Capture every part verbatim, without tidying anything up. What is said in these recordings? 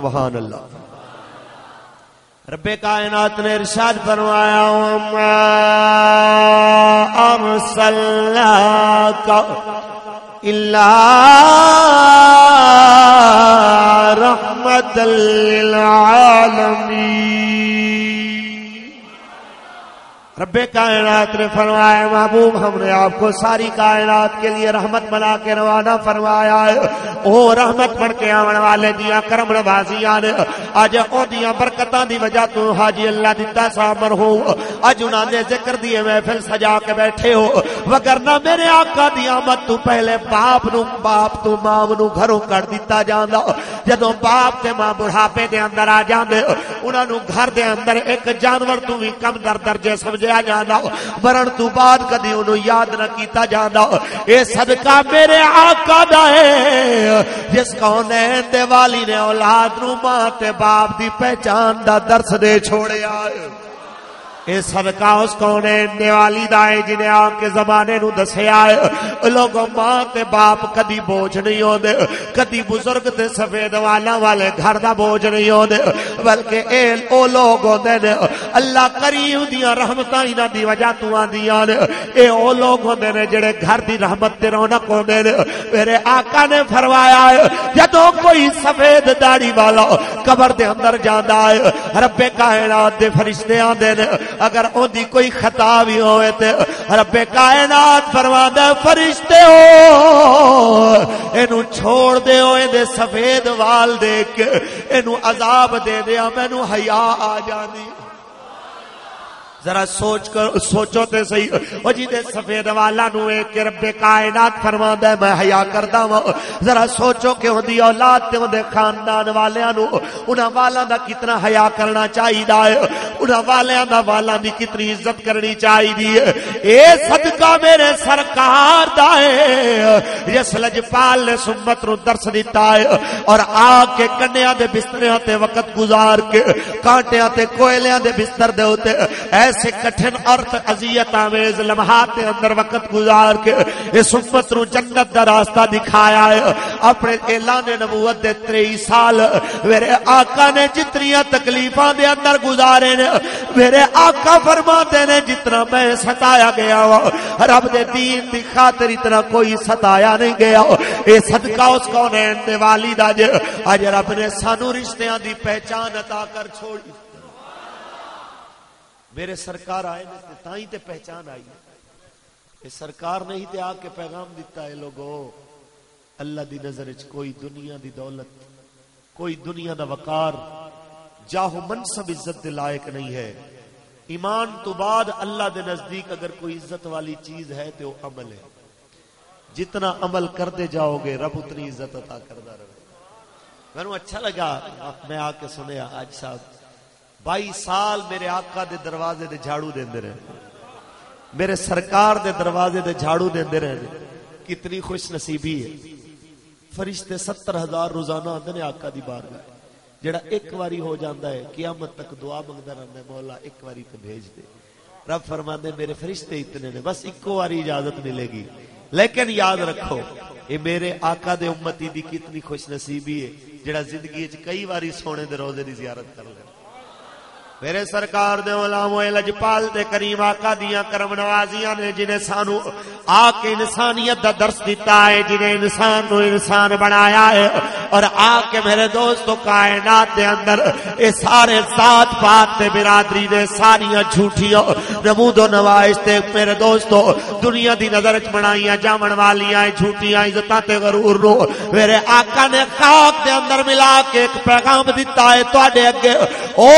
سبحان اللہ۔ رب کائنات نے ارشاد فرمایا، "وما ارسلناک الا رحمتا للعالمین۔" رب کائنات نے فرمایا، "محبوب، ہم نے آپ کو ساری کائنات کے لیے رحمت بنا کے روانہ فرمایا ہے۔" او رحمت بن کے آون والے دیاں کرم نوازیاں نے، اج او دیاں برکتاں دی وجہ تو حاجی اللہ دتا سا مرحوم، اج انہاں نے ذکر دی محفل سجا کے بیٹھے ہو، وگرنہ میرے آقا دی آمد تو پہلے باپ نو، باپ تو ماں نو گھروں کڈ دتا جاندا۔ جدوں باپ تے ماں بڑھاپے دے اندر آ جاندے، انہاں نوں گھر دے اندر ایک جانور تو بھی کم در درجے سمجھیا جاندا، مرن تو بعد کدی انہوں یاد نہ کیتا جاندا۔ اے صدقہ میرے آقا دا ہے، جس کونین دے والی نے اولاد نوں ماں تے باپ دی پہچان دا درس دے چھوڑیا ہے۔ اے صدقہ اس کونین دے والی دا ہے، جنہیں آ کے زمانے نوں دسیا ہے۔ لوگوں، ماں تے باپ کدی بوجھ نہیں ہوندے، کدی بزرگ تے سفید والاں والے گھر دا بوجھ نہیں ہوندے، بلکہ اے او لوگ ہوندے نے، اللہ کریم دیاں رحمتاں انہاں دی وجہ تو آندیاں نے۔ اے او لوگ ہوندے نے جڑے گھر دی رحمت تے رونق ہوندے نے۔ میرے آقا نے فرمایا ہے، جدوں کوئی سفید داڑھی والا قبر دے اندر جاندا ہے، رب کائنات دے فرشتے آندے نے، اگر اون دی کوئی خطا بھی ہوئے تے رب کائنات فرماندا ہے، "فرشتے ہو، اینو چھوڑ دے، او ایندے سفید وال دیکھ کے اینو عذاب دے دیا، مینوں حیا آ جاندی۔" ذرا سوچ کر، سوچو تے صحیح، او جی دے سفید والاں نوں ویکھ کے رب کائنات فرماندا ہے، "میں حیا کردا واں۔" ذرا سوچو کہ اوندی اولاد تے اوندے خاندان والیاں نوں انہاں والاں دا کتنا حیا کرنا چاہیدا ہے، انہاں والیاں دا، والاں دی کتنی عزت کرنی چاہیدی ہے۔ اے صدقہ میرے سرکار دا ہے، جس لجپال نے سمت نو درس دیتا ہے اور آ کے کنیاں دے بستریاں تے وقت گزار کے، کانٹیاں تے کوئلیاں دے بستر دے اُتے ایسے کٹھن ارتھ اذیت آمیز لمحات دے اندر وقت گزار کے اس امت نو جنت دا راستہ دکھایا ہے۔ اپنے اعلان نبوت دے تریہی سال میرے آقا نے جتنیاں تکلیفاں دے اندر گزارے نے، میرے آقا فرماندے نے، "جتنا میں ستایا گیا وا، رب دے دین دی خاطر اتنا کوئی ستایا نہیں گیا۔" اے صدقہ اس کونین دے والی دا جے، اج رب نے سانو رشتیاں دی پہچان عطا کر چھوڑی۔ میرے سرکار آئے نے تے تائیں تے پہچان آئی۔ اے سرکار نہیں تے آ کے پیغام دتا ہے، لوگو، اللہ دی نظر وچ کوئی دنیا دی دولت، کوئی دنیا دا وقار، جاہ و منصب عزت دے لائق نہیں ہے۔ ایمان تو بعد اللہ دے نزدیک اگر کوئی عزت والی چیز ہے تے وہ عمل ہے۔ جتنا عمل کردے جاؤ گے، رب اتنی عزت عطا کردا رہے۔ مینوں اچھا لگا، میں آ کے سنیا، حاج صاحب بائی سال میرے آقا دے دروازے دے جھاڑو دیندے رہے، میرے سرکار دے دروازے دے جھاڑو دیندے رہے۔ کتنی خوش نصیبی ہے۔ فرشتے ستر ہزار روزانہ آندے نے آقا دی بارگاہ، جڑا ایک واری ہو جاندا ہے، قیامت تک دعا منگدا رہندا ہے، "مولا، ایک واری تے بھیج دے۔" رب فرماندے، "میرے فرشتے اتنے نے، بس اکو واری اجازت ملے گی۔" لیکن یاد رکھو، اے میرے آقا دے امتی دی کتنی خوش نصیبی ہے، جڑا زندگی وچ کئی واری سونے دے روزے دی زیارت کر لے۔ میرے سرکار دے علماء لجپال تے کریم آقا دیاں کرم نوازیاں نے، جنہیں سانو آ کے انسانیت دا درس دیتا ہے، جنہیں انسان نو انسان بنایا ہے، اور آ کے میرے دوستو کائنات دے اندر اے سارے ذات پات تے برادری دے ساریاں جھوٹیاں نمود و نمائش تے میرے دوستو دنیا دی نظر وچ بنائیاں جاون والیاں اے جھوٹیاں عزتاں تے غرور نو میرے آقا نے خاک دے اندر ملا کے ایک پیغام دتا ہے تواڈے اگے۔ او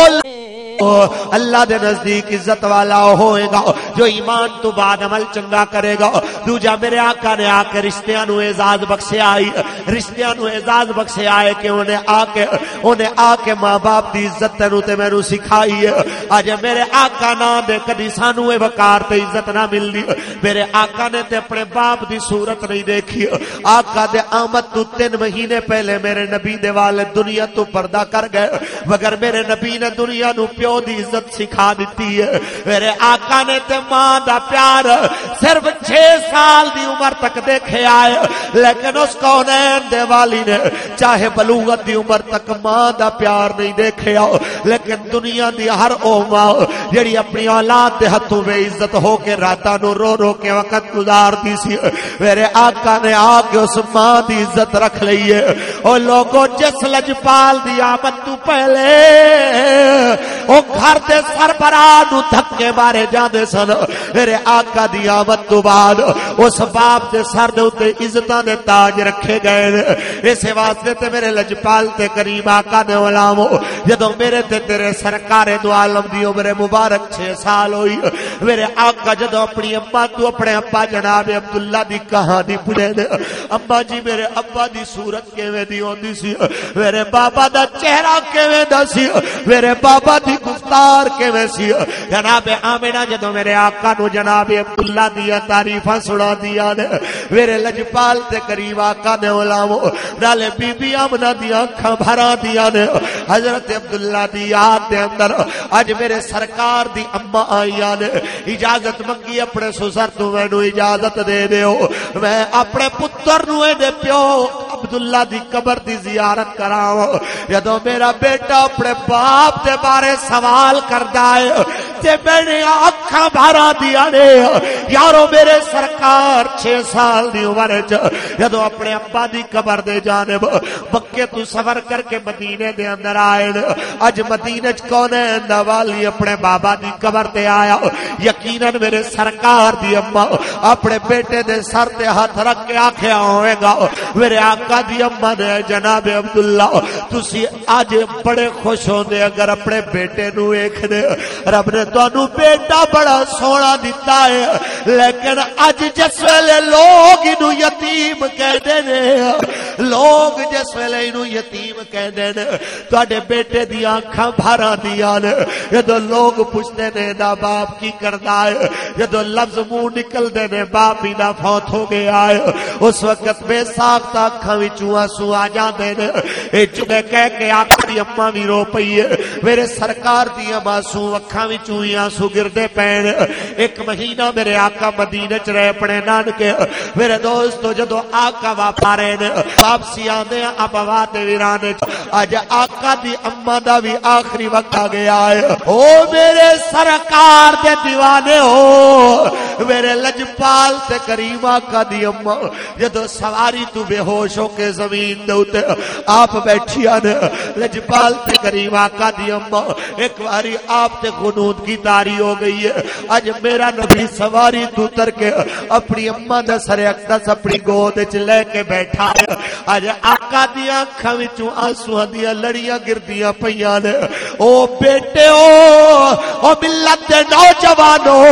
اللہ دے نزدیک عزت والا ہوئے گا جو ایمان تو بعد عمل چنگا کرے گا۔ دوجا میرے آقا نے آ کے رشتیاں نو اعزاز بخشیا ہے، رشتیاں نو اعزاز بخشیا ہے کہ انہیں آ کے، انہیں آ کے ماں باپ دی عزت تینوں تے مینوں سکھائی ہے۔ اج میرے آقا نہ دے، کدی سانو اے وقار تے عزت نہ ملدی۔ میرے آقا نے تے اپنے باپ دی صورت نہیں دیکھی۔ آقا دے آمد تو تین مہینے پہلے میرے نبی دے والد دنیا تو پردہ کر گئے، مگر میرے نبی نے دنیا نو پیو دی عزت سکھا دتی ہے۔ میرے آقا نے تے ماں دا پیار صرف چھ سال دی عمر تک دیکھے آئے، لیکن اس کونین دے والی نے چاہے بلوغت دی عمر تک ماں دا پیار نہیں دیکھیا، لیکن دنیا دی ہر او ماں جڑی اپنی اولاد دے ہتھوں بے عزت ہو کے راتاں نو رو رو کے وقت گزار دی سی، میرے آقا نے آ کے اس ماں دی عزت رکھ لئی ہے۔ او لوگو، جس لجپال دی آمد تو پہلے او گھر دے سربراہ نو دھکے مارے جاندے سن، میرے آقا دی آمد تو بعد اس باپ دے سر دے اُتے عزتاں دے تاج رکھے گئے نے۔ اسے واسطے تے میرے لجپال تے کریم آقا دے غلامو، جدوں میرے تے تیرے سرکار دو عالم دی عمر مبارک چھ سال ہوئی، میرے آقا جدوں اپنی اماں تو اپنے ابا جناب عبداللہ دی کہانی پڑھے نے، اماں جی، میرے ابا دی صورت کیویں دی ہوندی سی، میرے بابا دا چہرہ کیویں دا سی، میرے بابا دی گفتار کیویں سی؟ جناب آمنہ جدوں میرے آقا نو جناب عبداللہ دیاں تعریفاں سنا دیاں نے، میرے لجپال تے کریم آقا نے غلامو، نالے بی بی آمنہ دیاں اکھاں بھراں دیاں نے۔ حضرت عبداللہ دی یاد دے اندر اج میرے سرکار دی اماں آئیاں نے، اجازت منگی اپنے سسر تو، مینوں اجازت دے دیو، میں اپنے پتر نو اے دے پیو عبداللہ دی قبر دی زیارت کراواں۔ جدوں میرا بیٹا اپنے باپ دے بارے سوال کردا ہے تے میرے اکھاں بھارا دیاں نے، یارو، میرے سرکار چھ سال دی عمر وچ جدوں اپنے ابا دی قبر دے جانب مکے تو سفر کر کے مدینے دے اندر آئے نے، اج مدینے چ کون ہے ایندا والی اپنے بابا دی قبر تے آیا؟ یقیناً میرے سرکار دی اماں اپنے بیٹے دے سر تے ہاتھ رکھ کے آکھیا ہوئے گا، میرے آقا دی اماں نے، جناب عبداللہ، تسی اج بڑے خوش ہوندے اگر اپنے بیٹے نو ویکھدے۔ رب نے تانوں بیٹا بڑا سوہنا دتا ہے، لیکن اج جس ویلے لوگ اینو یتیم کہندے نے، لوگ جس ویلے اینو یتیم کہندے نے، تہاڈے بیٹے دیاں اکھاں بھاراں دیاں نے۔ جدوں لوگ پوچھدے نے، "دا باپ کی کردا ہے؟" جدوں لفظ منہ نکلدے نے، "باپ ہی دا فوت ہو گیا ہے"، اس وقت بے ساختہ اکھاں وچوں آنسو آ جاندے نے۔ اے جملے کہہ کے آقا دی اماں وی رو پئی ہے۔ میرے سرکار دیاں معصوم اکھاں وچوں ہی آنسو گردے پے نے۔ ایک مہینہ میرے آقا مدینے چ رہے اپنے نانکے۔ میرے دوستو، جدوں آقا واپس آ رہے نے، واپسی آندے ابوا دے ویرانے چ، اج آقا دی اماں دا وی آخری وقت آ گیا ہے۔ او میرے سرکار دے دیوانے ہو، میرے لجپال تے کریم آقا دی اماں، جدوں سواری تو بے ہوش ہو کے زمین دے اُتے آپ بیٹھیاں نے، لجپال تے کریم آقا دی اماں، ایک واری آپ تے غنود کی طاری ہو گئی ہے۔ اج میرا نبی سواری تو اتر کے اپنی اماں دا سر اقدس اپنی گود وچ لے کے بیٹھا ہے۔ اج آقا دیاں اکھاں وچوں آنسواں دیاں لڑیاں گردیاں پئیاں نے۔ او بیٹے، او، او ملت دے نوجوانو،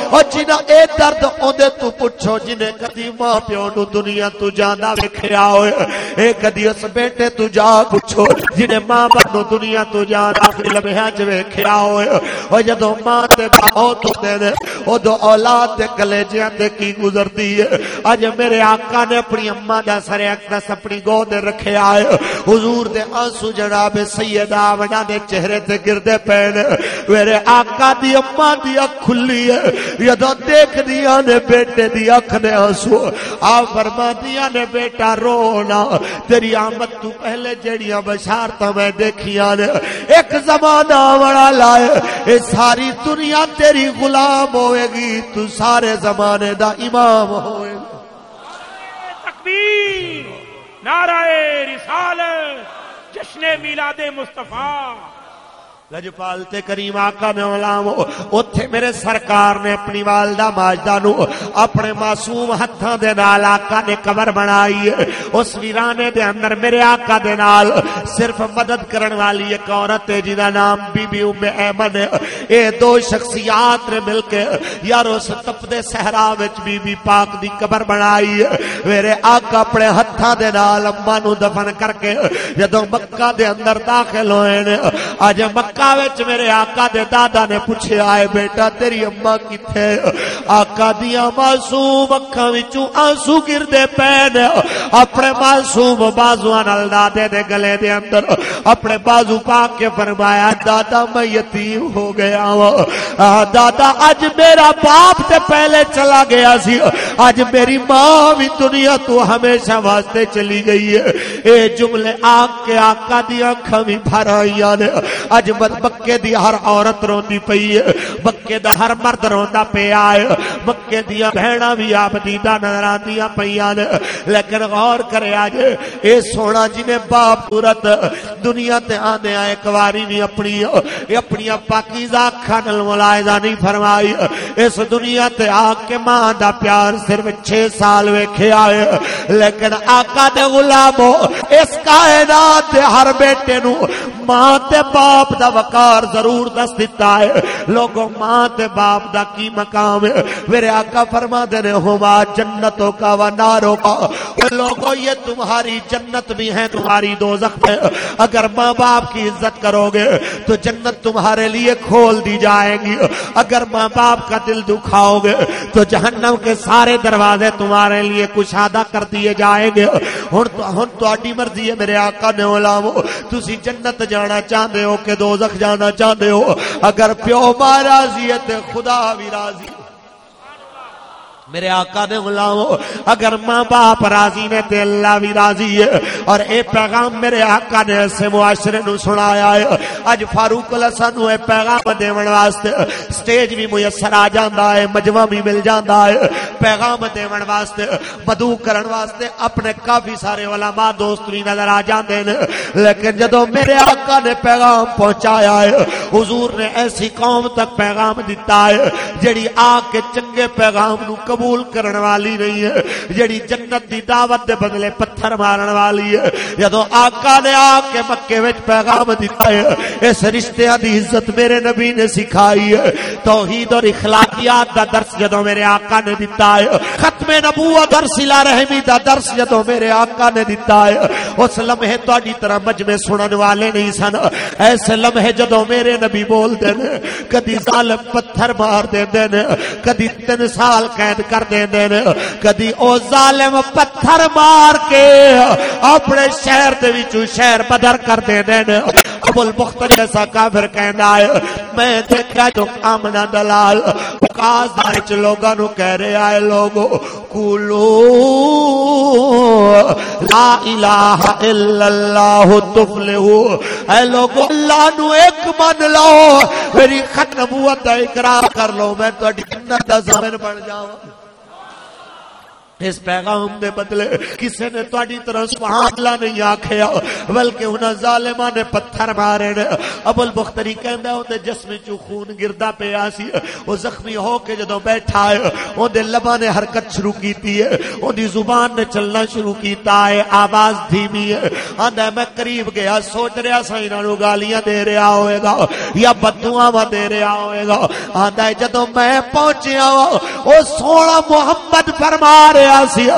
او جنہاں اے درد اوندے تو پچھو جنہیں کدی ماں پیو نو دنیا تو جاندا ویکھیا ہوئے، اے کدی اس بیٹے تو جا پچھو جنہیں ماں باپ نو دنیا تو جاندا آخری لمحیاں چ ویکھیا ہوئے۔ او جدوں ماں تے باپ موت ہوندے نے، ادو اولاد دے کلیجیاں تے کی گزردی ہے۔ اج میرے آقا نے اپنی اماں دا سر اقدس اپنی گود رکھیا ہے۔ حضور دے آنسو جناب سیدہ آمنہ دے چہرے تے گردے پے نے۔ میرے آقا دی اماں دی اکھ کھلی ہے، جدوں دیکھدیاں نے بیٹے دی اکھ دے آنسو، آپ فرماندیاں نے، "بیٹا، رو نہ، تیری آمد تو پہلے جیڑیاں بشارتاں میں دیکھیاں نے، ایک زمانہ آونا لائے، اے ساری دنیا تیری غلام ہوئے گی، تو سارے زمانے دا امام ہوئے گا۔" تکبیر، نعرہ رسالت، جشن میلاد مصطفیٰ۔ لجپال تے کریم آقا نے غلام، اوتھے میرے سرکار نے اپنی والدہ ماجدہ نو اپنے معصوم ہتھاں دے نال آقا نے قبر بنائی ہے۔ اس ویرانے دے اندر میرے آقا دے نال صرف مدد کرن والی ایک عورت ہے جس دا نام بی بی ام ایمن ہے۔ اے دو شخصیات نے مل کے، یار، اس تپدے صحرا وچ بی بی پاک دی قبر بنائی۔ میرے آقا اپنے ہتھاں دے نال اماں نوں دفن کر کے جدوں مکہ دے اندر داخل ہوئے نے، اج مکہ وچ میرے آقا دے دادا نے پوچھیا، "اے بیٹا، تیری اماں کتھے؟" آقا دیاں معصوم اکھاں وچوں آنسو گردے پے نے۔ اپنے معصوم بازواں نال دادے دے گلے دے اندر اپنے بازو پا کے فرمایا، "دادا، میں یتیم ہو گیا ہاں۔ آ، دادا، اج میرا باپ تے پہلے چلا گیا سی، اج میری ماں بھی دنیا تو ہمیشہ واسطے چلی گئی ہے۔" اے جملے آ کے آقا دی اکھاں بھی بھر آئیاں نے۔ اج مت-، مکے دی ہر عورت روندی پئی ہے، مکے دا ہر مرد روندا پیا ہے، مکے دیاں بہناں بھی آپ دیدہ نظر آندیاں پیاں نے۔ لیکن غور کرے اج، اے سونا جویں باپ صورت دنیا تے آندے آ، ایک واری بھی اپنی، اے اپنی پاکیزہ اکھاں نال ملاحظہ نہیں فرمائی۔ اس دنیا تے آ کے ماں دا پیار صرف چھ سال ویکھیا ہے، لیکن آقا دے غلامو، اس کائنات دے ہر بیٹے نوں ماں تے باپ دا وقار ضرور دس دتا ہے۔ لوگو، ماں تے باپ دا کی مقام ہے؟ میرے آقا فرما دے نے، "ہما جنتوں کا و ناروں کا۔" لوگو، یہ تمہاری جنت بھی ہے، تمہاری دوزخ ہے۔ اگر ماں باپ کی عزت کرو گے تو جنت تمہارے لیے کھول دی جائیں گی۔ اگر ماں باپ کا دل دکھاؤ گے تو جہنم کے سارے دروازے تمہارے لیے کشادہ کر دیے جائیں گے۔ ہن تو، ہن تہاڈی مرضی ہے، میرے آقا نے غلامو، تسی جنت جانا چاہندے ہو کہ دوزخ جانا چاہندے ہو؟ اگر پیو ماں راضی ہے تے خدا بھی راضی۔ میرے آقا نے غلامو، اگر ماں باپ راضی نے تے اللہ بھی راضی ہے۔ اور اے پیغام میرے آقا نے ایسے معاشرے نو سنایا ہے۔ اج فاروق اللہ سانو اے پیغام دیون واسطے سٹیج بھی میسر آ جاندا ہے، مجمع بھی مل جاندا ہے۔ پیغام دیون واسطے، مدعو کرن واسطے اپنے کافی سارے علماء دوست بھی نظر آ جاندے نے، لیکن جدوں میرے آقا نے پیغام پہنچایا ہے، حضور نے ایسی قوم تک پیغام دتا ہے جڑی آ کے چنگے پیغام نو قبول کرن والی نہیں ہے، جڑی جنت دی دعوت دے بدلے پتھر مارن والی ہے۔ جدوں آقا نے آ کے مکے وچ پیغام دتا ہے، اس رشتیاں دی عزت میرے نبی نے سکھائی ہے۔ توحید اور اخلاقیات دا درس جدوں میرے آقا نے دتا ہے، ختم نبوت اور صلہ رحمی دا درس جدوں میرے آقا نے دتا ہے، اس لمحے تہاڈی طرح مجمع سنن والے نہیں سن۔ ایسے لمحے جدوں میرے نبی بول دے نے، کدی ظالم پتھر مار دے نے، کدی تین سال قید کر دے نے، کدی او ظالم پتھر مار کے اپنے شہر دے وچوں شہر بدر کر دے نے۔ ابو البختری ایسا کافر کہندا ہے، میں دیکھا جو آمنا دلال وکاس وچ لوگاں نوں کہہ رہا ہے، "لوگو، قولوا لا الہ الا اللہ تفلحوا۔" اے لوگو، اللہ نو ایک من لو، میری ختم نبوت دا اقرار کر لو، میں تہاڈی جنت دا ضامن بن جاواں۔ اس پیغام دے بدلے کسے نے تہاڈی طرح سبحان اللہ نہیں آکھیا، بلکہ انہاں ظالماں نے پتھر مارے نے۔ ابو البختری کہندا، اوندے جسم چوں خون گردا پیا سی۔ او زخمی ہو کے جدوں بیٹھا ہے، اوندے لباں نے حرکت شروع کیتی ہے، اوندی زبان نے چلنا شروع کیتا ہے، آواز دھیمی ہے۔ آندا ہے، میں قریب گیا، سوچ رہا سا انہاں نوں گالیاں دے رہا ہوئے گا یا بددعاواں دے رہا ہوئے گا۔ آندا ہے، جدوں میں پہنچیا وا، او سونا محمد فرما رہا سی،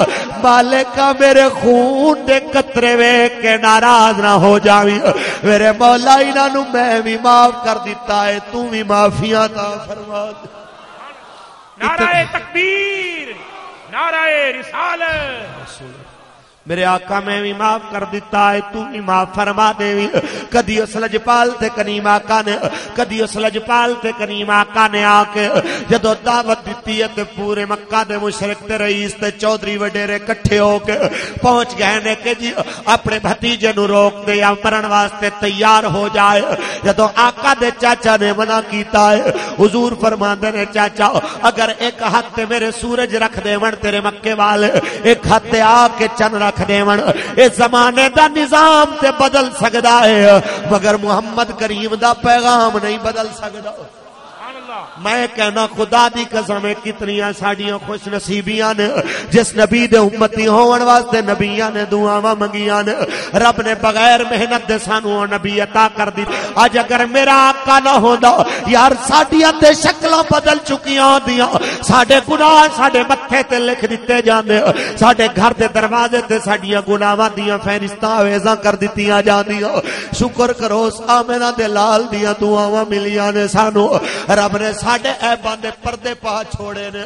"مالکا، میرے خون دے قطرے ویکھ کے ناراض نہ ہو جاویں، میرے مولا، انہاں نوں میں بھی معاف کر دتا ہے، تو بھی معافی عطا فرما دے۔" نعرہ تکبیر، نعرہ رسالت۔ میرے آقا، میں بھی معاف کر دتا ہے، تو بھی معاف فرما دے۔ کدی اس لجپال تے کریم آقا نے، کدی اس لجپال تے کریم آقا نے آ کے جدوں دعوت دتی ہے تے پورے مکہ دے مشرک تے رئیس تے چودھری وڈیرے کٹھے ہو کے پہنچ گئے نے کہ جی، اپنے بھتیجے نو روک دے یا مرن واسطے تیار ہو جائے۔ جدوں آقا دے چاچا نے منع کیتا ہے، حضور فرماندے نے، "چاچا، اگر ایک ہاتھ تے میرے سورج رکھ دے ون تیرے مکے والے، ایک ہاتھ تے آ کے چن رکھ دے ون، اس زمانے دا نظام تے بدل سکدا ہے، مگر محمد کریم دا پیغام نہیں بدل سکدا۔" میں کہنا، خدا دی قسم ہے، کتنیاں ساڈیاں خوش نصیبیاں نے، جس نبی دے امتی ہون واسطے نبیاں نے دعاواں منگیاں نے۔ رب نے بغیر محنت دے سانو او نبی عطا کر دی۔ اج اگر میرا آقا نہ ہوندا، یار، ساڈیاں تے شکلاں بدل چکیاں ہوندیاں، ساڈے گناہ ساڈے متھے تے لکھ دتے جاندے، ساڈے گھر دے دروازے تے ساڈیاں گناہاں دیاں فہرستاں آویزاں کر دتیاں جاندیاں۔ شکر کرو، اس آمنہ دے لال دیاں دعاواں ملیاں نے سانو۔ رب نے ساڈے عیباں دے پردے پا چھوڑے نے۔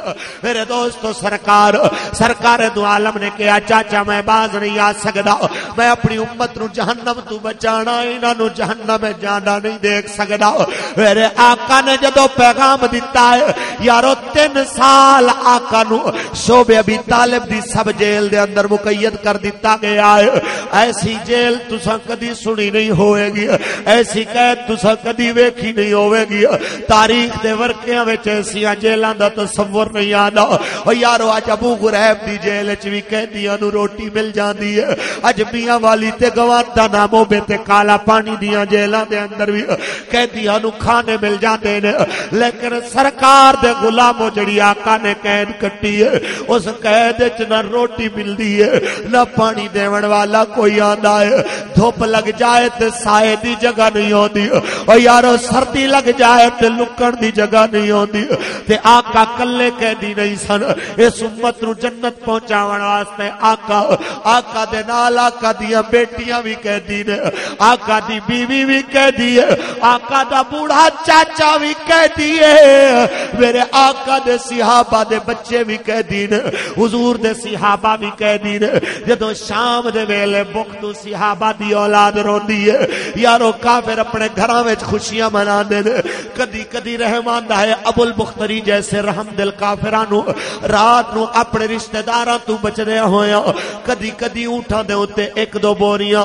میرے دوستو، سرکار، سرکار دو عالم نے کہا، "چاچا، میں باز نہیں آ سکدا، میں اپنی امت نو جہنم تو بچانا، انہاں نو جہنم میں جانا نہیں دیکھ سکدا۔" میرے آقا نے جدوں پیغام دتا ہے، یارو، تین سال آقا نو شعب ابی طالب دی سب جیل دے اندر مقید کر دتا گیا ہے۔ ایسی جیل تساں کدی سنی نہیں ہوئے گی، ایسی قید تساں کدی ویکھی نہیں ہوئے گی۔ تاریخ دے ورقیاں وچ ایسیاں جیلاں دا تصور نہیں آندا۔ او یارو، اج ابو غریب دی جیل وچ وی قیدیاں نوں روٹی مل جاندی ہے۔ اج میاں والی تے گوانتا نامو بے تے کالا پانی دیاں جیلاں دے اندر وی قیدیاں نوں کھانے مل جاندے نے، لیکن سرکار دے غلامو، جڑی آقا نے قید کٹی ہے، اس قید وچ نہ روٹی ملدی ہے، نہ پانی دیون والا کوئی آندا ہے۔ دھوپ لگ جائے تے سائے دی جگہ نہیں ہوندی۔ او یارو، سردی لگ جائے تے لکڑ دی جگہ نہیں ہوندی۔ تے آقا کلے قیدی نہیں سن، اس امت نو جنت پہنچاون واسطے آقا، آقا دے نال آقا دیاں بیٹیاں وی قیدی نے، آقا دی بیوی وی قیدی ہے، آقا دا بوڑھا چاچا وی قیدی ہے، میرے آقا دے صحابہ دے بچے وی قیدی نے۔ حضور دے صحابہ وی قیدی نے۔ جدوں شام دے ویلے بخت صحابہ دی اولاد روندی ہے، یارو، کافر اپنے گھراں وچ خوشیاں مناندے نے۔ کدی کدی رحم آندا ہے، ابو البختری جیسے رحم دل کافراں نو رات نو اپنے رشتہ داراں تو بچدے ہویاں، کدی کدی اونٹاں دے اُتے ایک دو بوریاں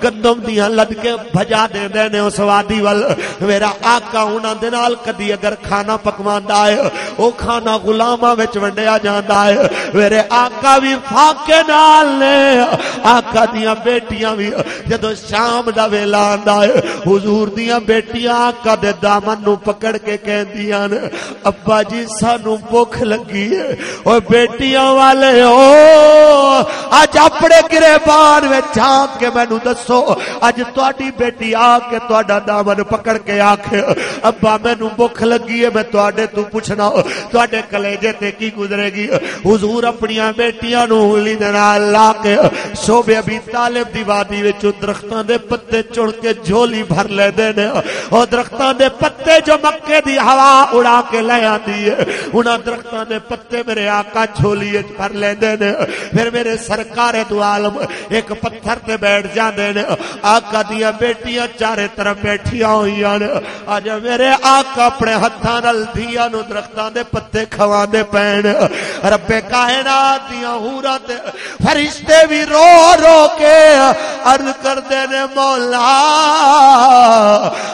گندم دیاں لد کے بھجا دیندے نے اس وادی ول۔ میرا آقا انہاں دے نال کدی اگر کھانا پکواندا ہے، او کھانا غلاماں وچ ونڈیا جاندا ہے۔ میرے آقا وی فاقے نال نے، آقا دیاں بیٹیاں وی۔ جدوں شام دا ویلا آندا ہے، حضور دیاں بیٹیاں آقا دے دامن نو پکڑ کے کہندیاں نے، "ابا جی، سانو بھوک لگی ہے۔" او بیٹیاں والے او، اج اپنے گریبان وچ جھانک کے مینوں دسو، اج تہاڈی بیٹی آ کے تہاڈا دامن پکڑ کے آکھے، "ابا، مینوں بھوک لگی ہے، میں تہاڈے تو پوچھنا، تہاڈے کلیجے تے کی گزرے گی؟" حضور اپنیاں بیٹیاں نوں انگلی دے نال لا کے شعب ابی طالب دی وادی وچوں درختاں دے پتے چن کے جھولی بھر لیندے نے۔ او درختاں دے پتے جو مکے دی ہوا اڑا کے لے آندی ہے، انہاں درختاں دے پتے میرے آقا جھولی وچ بھر لیندے نے۔ پھر میرے سرکار دو عالم ایک پتھر تے بیٹھ جاندے نے۔ آقا دیاں بیٹیاں چارے طرف بیٹھیاں ہوئیاں نے۔ اج میرے آقا اپنے ہتھاں نال دھیاں نوں درختاں دے پتے کھواندے پین۔ رب کائنات دیاں حوراں تے فرشتے بھی رو رو کے عرض کردے نے، "مولا،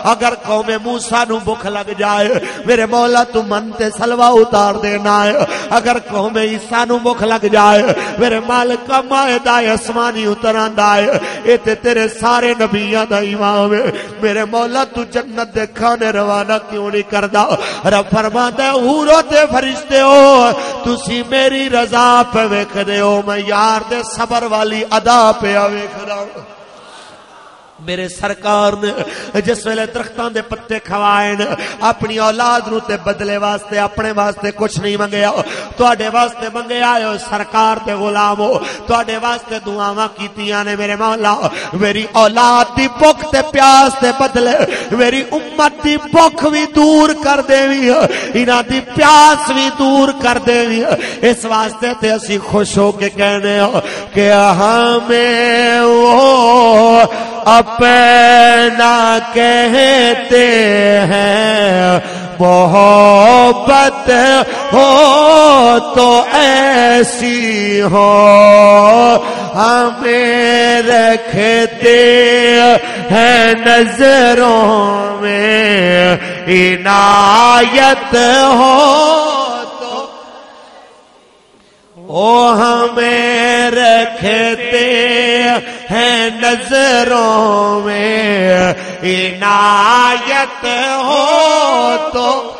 اگر قوم موسیٰ نو بھوک لگ جائے، میرے مولا، تو من تے سلوا اتار دینا ہے۔ اگر قوم عیسیٰ نو بھوک لگ جائے، میرے مالک، مائدہ آسمانی اتر آندا ہے۔" اے تے تیرے سارے نبیاں دا امام ہے۔ میرے مولا، تو جنت دے کھانے روانہ کیوں نہیں کردا؟ رب فرماندا ہے، "حورو تے فرشتے ہو، تسی میری رضا پہ ویکھدے ہو، میں یار دے صبر والی ادا پہ ویکھدا ہوں۔" میرے سرکار نے جس ویلے درختاں دے پتے کھوائے نے، اپنی اولاد نو تے بدلے واسطے، اپنے واسطے کچھ نہیں منگیا۔ تواڈے واسطے منگیا ہے، او سرکار دے غلام ہو، تواڈے واسطے دعاواں کیتیاں نے۔ میرے مولا، میری اولاد دی بھوک تے پیاس دے بدلے میری امت دی بھوک وی دور کر دیوی، انہاں دی پیاس وی دور کر دیوی۔ اس واسطے تے اسی خوش ہو کے کہنے ہاں کہ ہمیں وہ اپنا کہتے ہیں، محبت ہو تو ایسی ہو، ہمیں رکھتے ہیں نظروں میں، عنایت ہو تو او ہمیں رکھتے ہیں نظروں میں، عنایت ہو تو